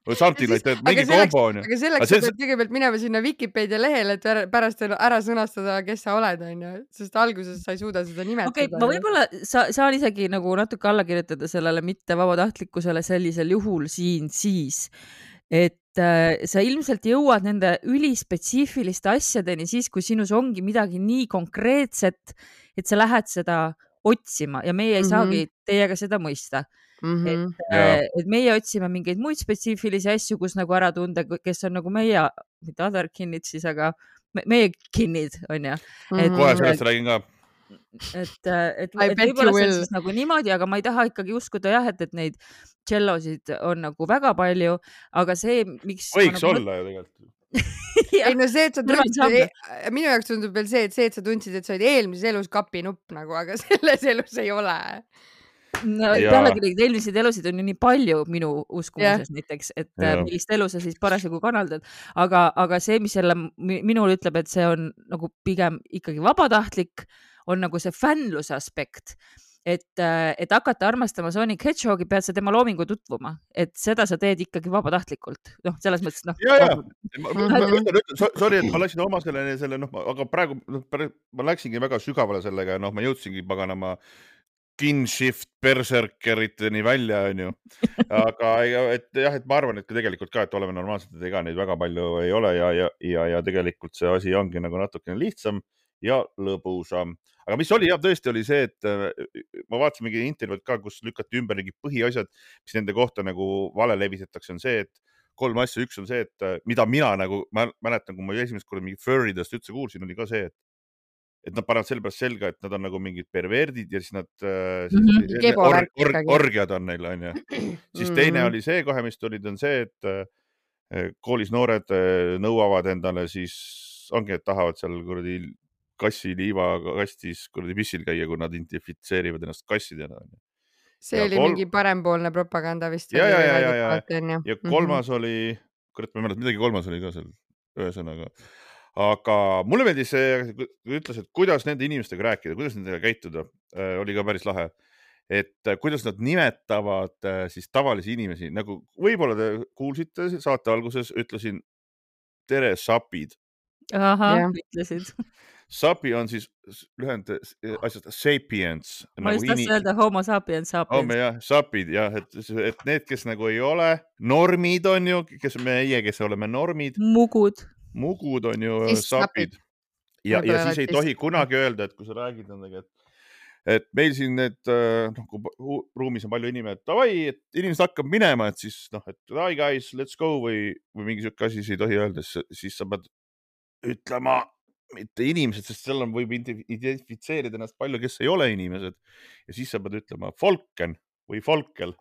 Või something like that, mingi kombo on ju. Aga selleks sa pead kõigepealt minema sinna Wikipedia lehele, et pärast ära sõnastada, kes sa oled, on ju. Sest alguses sa ei suuda seda nimetada. Okei, okay, ma võib-olla sa, saan isegi nagu natuke alla kirjutada sellele mitte vabatahtlikkusele sellisel juhul siin siis, et äh, sa ilmselt jõuad nende ülispetsiifiliste asjadeni siis, kui sinus ongi midagi nii konkreetset, et sa lähed seda otsima ja meie ei mm-hmm. saagi teiega seda mõista. Mm-hmm. Et, yeah. et meie otsime mingeid muid spetsiifilisi asju, kus nagu ära tunda, kes on nagu meie, mitte other kinnid siis, aga me, meie kinnid on ju. Mm-hmm. Kohe sellest räägin ka. Et, et, et võib-olla see on siis nagu niimoodi, aga ma ei taha ikkagi uskuda jah, et, et neid cellosid on nagu väga palju, aga see, miks... Võiks nagu... olla ju tegelikult. ei no see, et sa tundsid, minu jaoks tundub veel see, et see, et sa tundsid, et sa olid eelmises elus kapinupp nagu, aga selles elus ei ole. No, pealegi neid eelmiseid elusid on ju nii palju minu uskumuses yeah. näiteks, et ja. millist elu sa siis parasjagu kanaldad, aga, aga see, mis selle minul ütleb, et see on nagu pigem ikkagi vabatahtlik, on nagu see fännluse aspekt, et, et hakata armastama Sonic Hedgehogi, pead sa tema loomingu tutvuma, et seda sa teed ikkagi vabatahtlikult. Noh, selles mõttes, noh. Ja, ja. Ma, ma, ma ütlen, ütlen, sorry, et ma läksin oma selle, selle noh, aga praegu no, ma läksingi väga sügavale sellega ja noh, ma jõudsingi paganama kinshift berserkeriteni välja, on ju. Aga et, jah, et ma arvan, et tegelikult ka, et oleme normaalselt, et ega neid väga palju ei ole ja, ja, ja, ja tegelikult see asi ongi nagu natukene lihtsam ja lõbusam. Aga mis oli, jah, tõesti oli see, et ma vaatasin mingi intervjuud ka, kus lükati ümber mingi põhiasjad, mis nende kohta nagu vale levisetakse, on see, et kolm asja, üks on see, et mida mina nagu, ma mäletan, kui ma esimest korda mingi furridest üldse kuulsin, oli ka see, et et nad panevad selle pärast selga, et nad on nagu mingid perverdid ja siis nad siis mm-hmm. or, or, orgiad on neil, on ju. Siis teine oli see, kohe mis tulid, on see, et koolis noored nõuavad endale siis, ongi, et tahavad seal kuradi kassi liiva kastis kuradi pissil käia, kui nad identifitseerivad ennast kassidena. See ja oli kolm... mingi parempoolne propaganda vist. Ja, ja, ja, ja, ja. ja kolmas mm-hmm. oli, kurat, ma mäletan, midagi kolmas oli ka seal ühesõnaga. Aga mulle meeldis see, kui ütles, et kuidas nende inimestega rääkida, kuidas nendega käituda, oli ka päris lahe. Et kuidas nad nimetavad siis tavalisi inimesi, nagu võib-olla te kuulsite saate alguses, ütlesin tere, sapid. Aha, ja. Ütlesid. Sapi on siis lühend asjast sapiens. Ma just tahtsin öelda homo sapiens, sapiens. Oh, jah, sapid, jah, et, et need, kes nagu ei ole normid on ju, kes meie, kes oleme normid. Mugud. Mugud on ju siis sapid. Ja, ja siis ei tohi kunagi öelda, et kui sa räägid nendega, et, et meil siin need, noh, kui ruumis on palju inimene, et davai, et inimesed hakkab minema, et siis, noh, et hi guys, let's go või, või mingi siuke asi, ei tohi öelda, siis sa pead ütlema mitte inimesed, sest seal on, võib identifitseerida ennast palju, kes ei ole inimesed. Ja siis sa pead ütlema Folken või Folkel.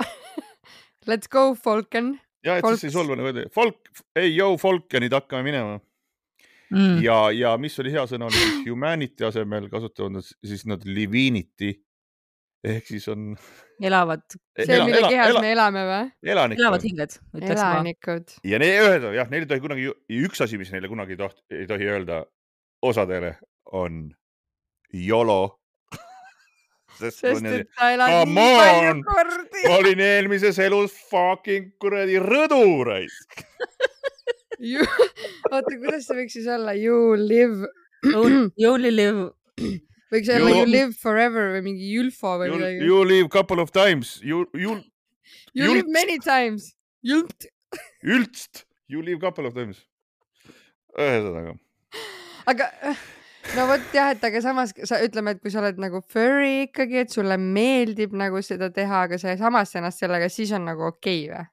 Let's go, Folken. Ja, et Folks. Siis ei solva nagu, folk, ei, joo, Folkenid hakkame minema. Mm. Ja, ja mis oli hea sõna, oli siis humanity asemel kasutavad siis nad livinity. Ehk siis on... Elavad. See, ela, mille ela, kehas ela, me elame või? Elanikud. Elavad hinged. Elanikud. Ja ne, öelda, jah, neil ei tohi kunagi, üks asi, mis neile kunagi ei, toht, ei tohi öelda osadele on YOLO. Sest, sest et ta elab nii palju kordi. Ma olin eelmises elus fucking kuradi rõduraisk. Oota, kuidas see võiks siis olla? You live... You only live... Võiks olla you, you live forever või mingi Julfo või you, midagi. You live couple of times. You, you, you live many times. Jult. Ültst. You live couple of times. ühesõnaga. Aga no vot jah, et aga samas sa ütleme, et kui sa oled nagu furry ikkagi, et sulle meeldib nagu seda teha, aga sa samas ennast sellega, siis on nagu okei okay, või?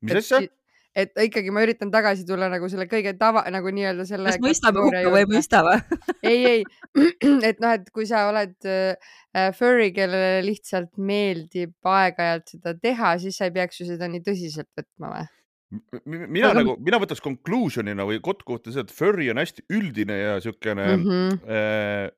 Mis asja? Et ikkagi ma üritan tagasi tulla nagu selle kõige tava, nagu nii-öelda selle... Kas mõistame hukka või mõistame? ei, ei. Et noh, et kui sa oled äh, furry, kellele lihtsalt meeldib aeg-ajalt seda teha, siis sa ei peaks ju seda nii tõsiselt võtma või? Mina, aga... nagu, mina võtaks conclusionina või kotkuvõtte seda, et furry on hästi üldine ja siukene mm -hmm. äh,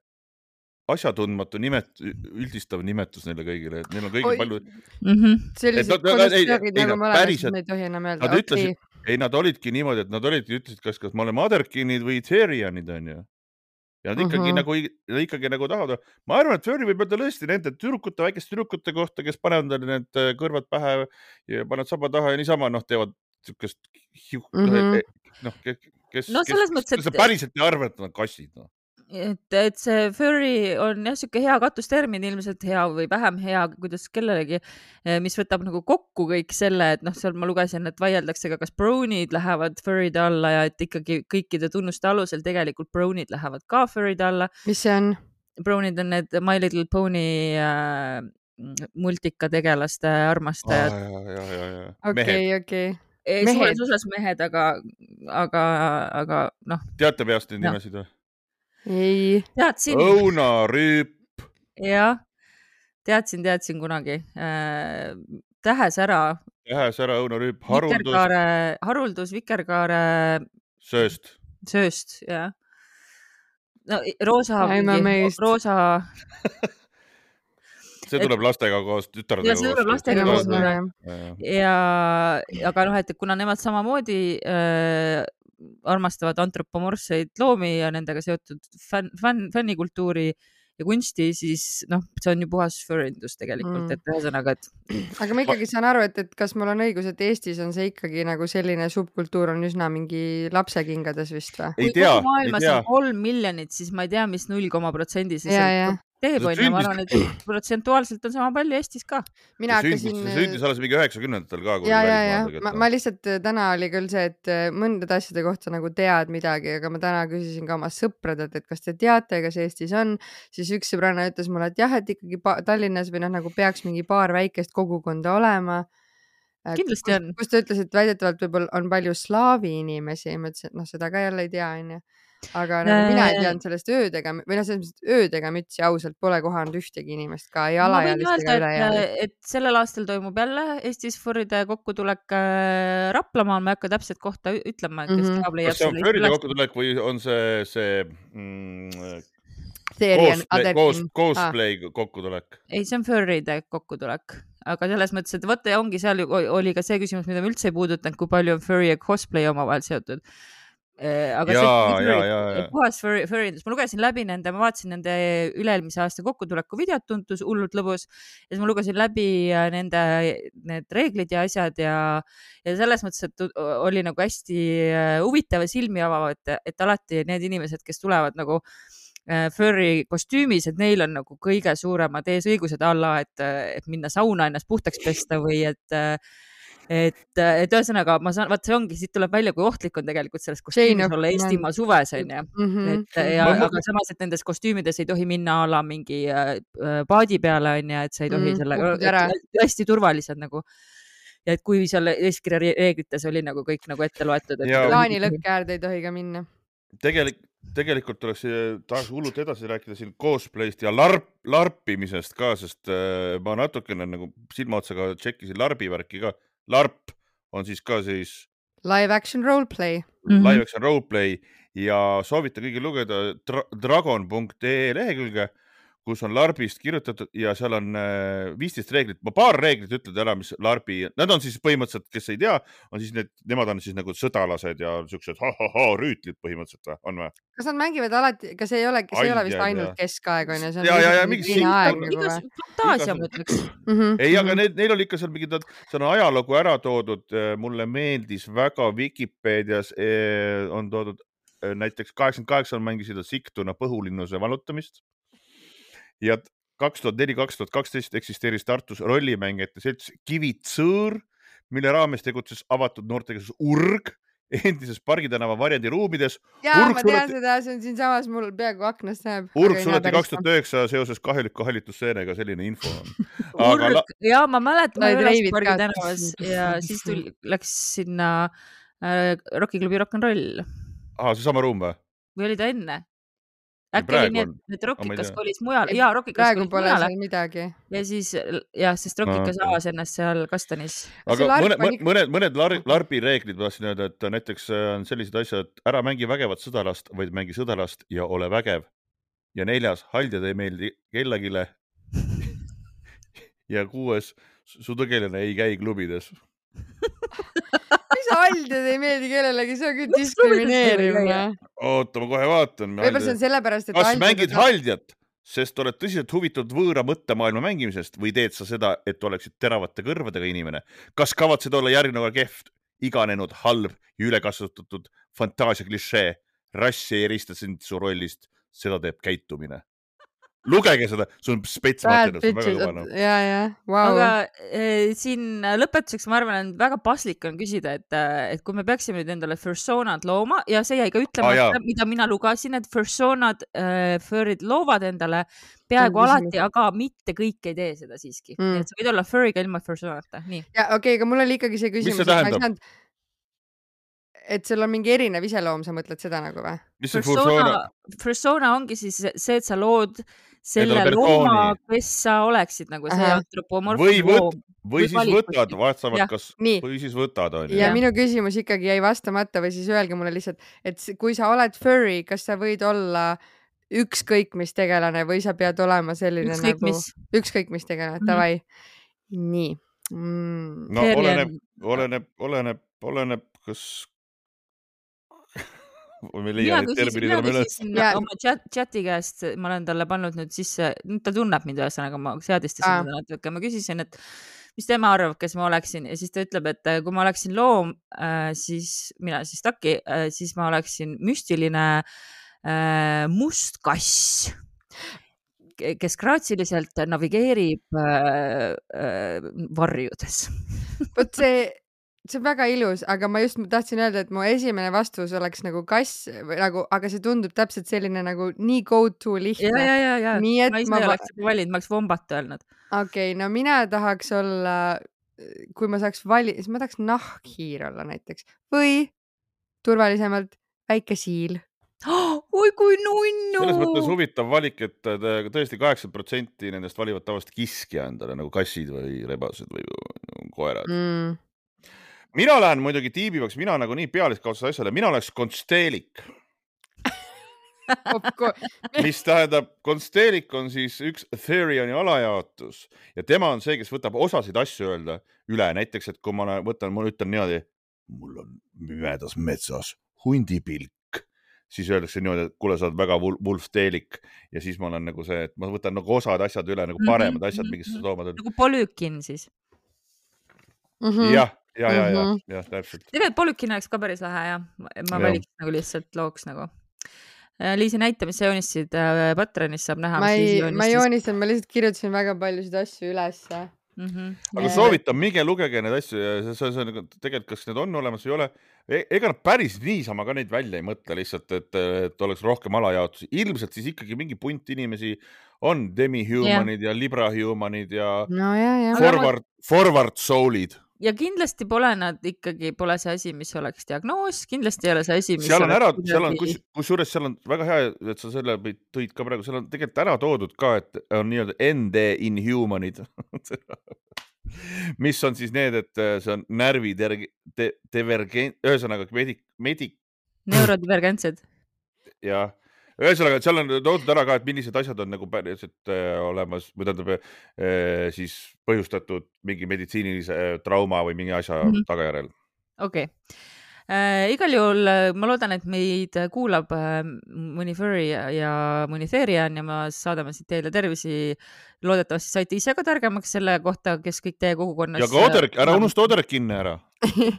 asjatundmatu nimet, üldistav nimetus neile kõigile, et neil on kõigil Oi. palju mm -hmm. sellised konstruktoorid nagu me oleme, siis me ei tohi enam öelda. Nad ütlesid, okay. ei, nad olidki niimoodi, et nad olidki, ütlesid, kas, kas me oleme Otherkinid või Therianid on ju. Ja nad ikkagi, uh -huh. nagu, ikkagi nagu tahavad. Ma arvan, et furry võib öelda lõesti nende tüdrukute, väikeste tüdrukute kohta, kes panevad need kõrvad pähe ja panevad saba taha ja niisama noh, teevad siukest mm -hmm. noh, kes, no, kes, mõttes, kes et... päriselt ei arva, et nad kassid. No. Et, et see furry on jah, siuke hea katustermin, ilmselt hea või vähem hea, kuidas kellelegi, mis võtab nagu kokku kõik selle, et noh, seal ma lugesin, et vaieldakse ka, kas brownid lähevad furry'de alla ja et ikkagi kõikide tunnuste alusel tegelikult brownid lähevad ka furry'de alla. Mis see on? Brownid on need My Little Pony äh, multikategelaste armastajad. Ah, okei, okei. Suures osas mehed, aga, aga, aga noh. Teate peast neid nimesid või? Ei. Teadsin. Õuna Rüüp. Jah, teadsin, teadsin kunagi. Äh, tähesära. Tähesära, Õuna Rüüp, haruldus. Haruldus, vikerkaare. Sööst. Sööst, jah. No, roosa. Roosa. See tuleb et, lastega koos, tütardega koos. Ja see tuleb lastega koos. Ja, aga noh, et kuna nemad samamoodi äh, armastavad antropomorfseid loomi ja nendega seotud fänn, fänn, fännikultuuri ja kunsti, siis noh, see on ju puhas furrindus tegelikult, mm. et ühesõnaga, et... Aga ma ikkagi saan aru, et, et kas mul on õigus, et Eestis on see ikkagi nagu selline subkultuur on üsna mingi lapsekingades vist või? Ei tea, kui maailmas on kolm miljonit, siis ma ei tea, mis null koma protsenti siis teeb on ja ma arvan, et protsentuaalselt on sama palju Eestis ka. Mina hakkasin... See sündis alles mingi üheksakümnendatel ka. Ja, ja, ja. Ma, ma lihtsalt täna oli küll see, et mõndade asjade kohta nagu tead midagi, aga ma täna küsisin ka oma sõpradelt, et kas te teate, kas Eestis on, siis üks sõbranna ütles mulle, et jah, et ikkagi Tallinnas või noh, nagu peaks mingi paar väikest kogukonda olema. Kindlasti kus, on. Kus ta ütles, et väidetavalt võib-olla on palju slaavi inimesi, ma ütlesin, et noh, seda ka jälle ei tea, on ju. Aga nagu mina ei teadnud sellest öödega või noh, sellest öödega mütsi ausalt pole kohanud ühtegi inimest ka ei alaealistega üle. Et sellel aastal toimub jälle Eestis furride kokkutulek Raplamaal, ma ei hakka täpselt kohta ütlema, kes mm -hmm. kas see on furride kokkutulek või on see see mm, cosplay, koos, cosplay ah. kokkutulek? Ei, see on furride kokkutulek, aga selles mõttes, et võtta ja ongi seal oli ka see küsimus, mida me üldse ei puudutanud, kui palju on furry ja cosplay omavahel seotud. Aga jaa, see jaa, jaa. puhas furrindus. Ma lugesin läbi nende, ma vaatasin nende üle-eelmise aasta kokkutuleku videot, tuntus hullult lõbus ja siis ma lugesin läbi nende need reeglid ja asjad ja, ja selles mõttes, et oli nagu hästi huvitav ja silmi avav, et, et alati need inimesed, kes tulevad nagu furry kostüümis, et neil on nagu kõige suuremad eesõigused alla, et, et minna sauna ennast puhtaks pesta või et et, et ühesõnaga ma saan, vaat see ongi, siit tuleb välja, kui ohtlik on tegelikult selles kostüümis olla Eestimaa suves, on ju. Mm -hmm. et, ja, aga samas, et nendes kostüümides ei tohi minna ala mingi äh, paadi peale, on ju, et sa ei tohi mm -hmm. selle, hästi turvalised nagu. Ja et kui seal eeskirja reeglites oli nagu kõik nagu ette loetud. Plaanilõkke äärde ei tohi ka minna. Tegelik, tegelikult oleks tahaks hullult edasi rääkida siin cosplayst ja larp, larpimisest ka, sest äh, ma natukene nagu silmaotsaga tšekkisin larbi värki ka. LARP on siis ka siis live action roleplay. Live action roleplay ja soovitan kõigil lugeda dra dragon punkt ee lehekülge, kus on LARPist kirjutatud ja seal on viisteist reeglit. Ma paar reeglit ütled ära, mis LARPi, nad on siis põhimõtteliselt, kes ei tea, on siis need, nemad on siis nagu sõdalased ja siuksed ha-ha-ha rüütlid põhimõtteliselt või, on või? Kas nad mängivad alati, kas ei ole, see ei ole vist ainult keskaeg, on ju? Ja, ja, ja, mingi siin aeg. Igas fantaasia mõtleks. Ei, aga neil, neil oli ikka seal mingi, see on ajalugu ära toodud, mulle meeldis väga Wikipedias on toodud, näiteks kaheksakümmend kaheksa mängisid Siktuna põhulinnuse valutamist. Ja kaks tuhat neli kaks tuhat kaksteist eksisteeris Tartus rollimängijate selts Kivitsõõr, mille raames tegutses avatud noortekeskus Urg endises Pargi tänava variandi ruumides. Jaa, ma tean seda, see on siin samas mul peaaegu aknast näeb. Urk suleti kaks tuhat üheksa seoses kahjuliku hallitusseenega, selline info on. Urk, la... jaa, ma mäletan, ma üles Pargi ka. tänavas ja siis tuli, läks sinna äh, Rockiklubi Rock'n'Roll. Aha, see sama ruum või? Või oli ta enne? Äkki oli nii, et Rockikas kolis mujal. Jaa, Rockikas praegu pole mujale. Seal midagi. Ja siis, jah, sest Rockikas no, avas ennast seal Kastanis. Aga mõned, mõned, mõned, mõned lar, larbi reeglid ma tahtsin öelda, et näiteks on sellised asjad, et ära mängi vägevat sõdalast, vaid mängi sõdalast ja ole vägev. Ja neljas, haldjad ei meeldi kellagile. Ja kuues, su tõgeline ei käi klubides. Mis haldjad ei meeldi kellelegi, see on küll diskrimineerimine. Oota, ma kohe vaatan. Võib-olla see on sellepärast, et kas haldjad... mängid haldjat, sest oled tõsiselt huvitatud võõra mõttemaailma mängimisest või teed sa seda, et oleksid teravate kõrvadega inimene? Kas kavatsed olla järgneva kehv, iganenud, halb ja ülekasutatud fantaasia klišee? Rassi ei erista sind su rollist, seda teeb käitumine. Lugege seda, see on spetsmaterjal, see on väga kõvana. Ja, ja, wow. Aga e, siin lõpetuseks ma arvan, et väga paslik on küsida, et, et kui me peaksime nüüd endale personad looma ja see jäi ka ütlema, ah, mida mina lugasin, et personad äh, furrid loovad endale peaaegu alati, aga mitte kõik ei tee seda siiski. Mm. Nii et sa võid olla furriga ilma personata. Nii. Ja okei, okay, aga mul oli ikkagi see küsimus. Mis see tähendab? Et sul on mingi erinev iseloom, sa mõtled seda nagu või? Mis see persona? Persona ongi siis see, et sa lood selle looma, kes sa oleksid nagu see antropomorfne või loom. Või siis võtad, vaatavad, kas, või siis võtad. On, ja, ja minu küsimus ikkagi jäi vastamata või siis öelge mulle lihtsalt, et kui sa oled furry, kas sa võid olla ükskõik mis tegelane või sa pead olema selline ükskõik nagu... Mis. Ükskõik mis tegelane, mm. Tavai. Nii. Mm. No oleneb, oleneb, oleneb, oleneb, kas... Mina küsisin ja... oma chat, chati käest, ma olen talle pannud nüüd sisse, nüüd ta tunneb mind ühesõnaga, ma seadistasin ah. natuke, ma küsisin, et mis tema arvab, kes ma oleksin ja siis ta ütleb, et kui ma oleksin loom, siis mina siis Taki, siis ma oleksin müstiline äh, must kass, kes graatsiliselt navigeerib äh, äh, varjudes. Vot see See on väga ilus, aga ma just tahtsin öelda, et mu esimene vastus oleks nagu kass, nagu, aga see tundub täpselt selline nagu nii go to lihtne. Ja, ja, ja, nii, et ma ise ma oleks valinud, ma oleks vombat öelnud. Okei, okay, no mina tahaks olla, kui ma saaks vali, siis ma tahaks nahkhiir olla näiteks või turvalisemalt väike siil. Oi, kui nunnu! Selles mõttes huvitav valik, et tõesti kaheksakümmend protsenti nendest valivad tavaliselt kiskja endale nagu kassid või rebased või koerad. Mm. Mina lähen muidugi tiibivaks, mina nagu nii pealiskaudses asjale, mina oleks konsteelik. Mis tähendab, konsteelik on siis üks Therioni alajaotus ja tema on see, kes võtab osasid asju öelda üle. Näiteks, et kui ma võtan, ma ütlen niimoodi, mul on mümedas metsas hundipilk, siis öeldakse niimoodi, et kuule, sa oled väga vulfteelik ja siis ma olen nagu see, et ma võtan nagu osad asjad üle, nagu paremad asjad, mingist loomad. Nagu polükin siis. Mm-hmm. Jah. Ja, ja, ja, ja, täpselt. Tegelikult polükin oleks ka päris lähe ja ma ja. Valiks nagu lihtsalt looks nagu. Liisi näita, mis sa joonistasid Patreonis saab näha. Ma, ei, ma joonistan, ma lihtsalt kirjutasin väga paljusid asju üles. Mm-hmm. Aga soovitan, minge lugege need asju ja see, see, see, tegelikult kas need on olemas või ei ole. Ega nad päris niisama ka neid välja ei mõtle lihtsalt, et, et oleks rohkem alajaotusi. Ilmselt siis ikkagi mingi punt inimesi on demi-humanid ja, ja libra-humanid ja, no, ja, ja. Forward, forward soul'id. Ja kindlasti pole nad ikkagi, pole see asi, mis oleks diagnoos, kindlasti ei ole see asi, mis seal on ära, kuidagi... seal on, kus, kusjuures seal on väga hea, et sa selle tõid ka praegu, seal on tegelikult ära toodud ka, et on nii-öelda N D inhumanid, mis on siis need, et see on närvi te, divergent, ühesõnaga medik, medik... neurodivergentsed. Jah. Ühesõnaga, seal on toodud ära ka, et millised asjad on nagu päriselt äh, olemas, või tähendab äh, siis põhjustatud mingi meditsiinilise äh, trauma või mingi asja mm-hmm. tagajärjel. Okei. Okay. Äh, igal juhul ma loodan, et meid kuulab äh, mõni furry ja, ja mõni Therian ja ma saadame siit teile tervisi. Loodetavasti saite ise ka targemaks selle kohta, kes kõik teie kogukonnas... Ja ka Oder, ära unusta Oderkinne ära.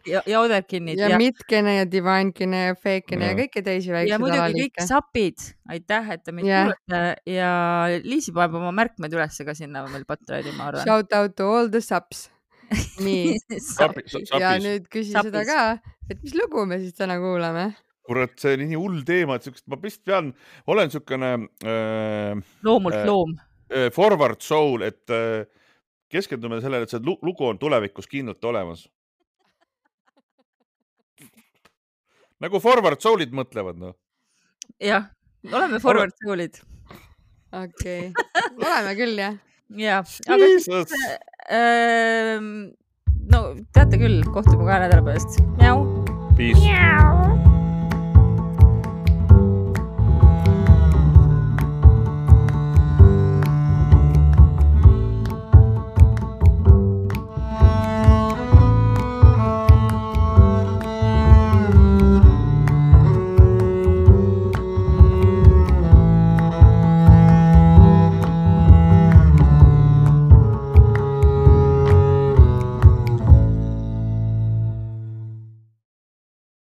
ja, ja Oderkinnid. Ja, ja Mitkene ja Divinekine ja Fakene ja, ja kõiki teisi väikseid ja muidugi alaliike. Kõik sapid. Aitäh, et te meid yeah. kuulete. Ja Liisi paneb oma märkmed üles ka sinna meil Patreoni, ma arvan. Shout out to all the saps. Nii. Sapis. Ja nüüd küsi Sapis. Seda ka. et mis lugu me siis täna kuulame? Kurat, see on nii hull teema, et ma vist pean, olen niisugune äh, loomult äh, loom. Äh, forward soul, et äh, keskendume sellele, et see lugu on tulevikus kindlalt olemas. Nagu forward soul'id mõtlevad, no. Jah, oleme forward soul'id. Okei, okay. oleme küll, jah. Jah, aga siis, äh, no teate küll, kohtume kahe nädala pärast. Miau. Peace. Miau.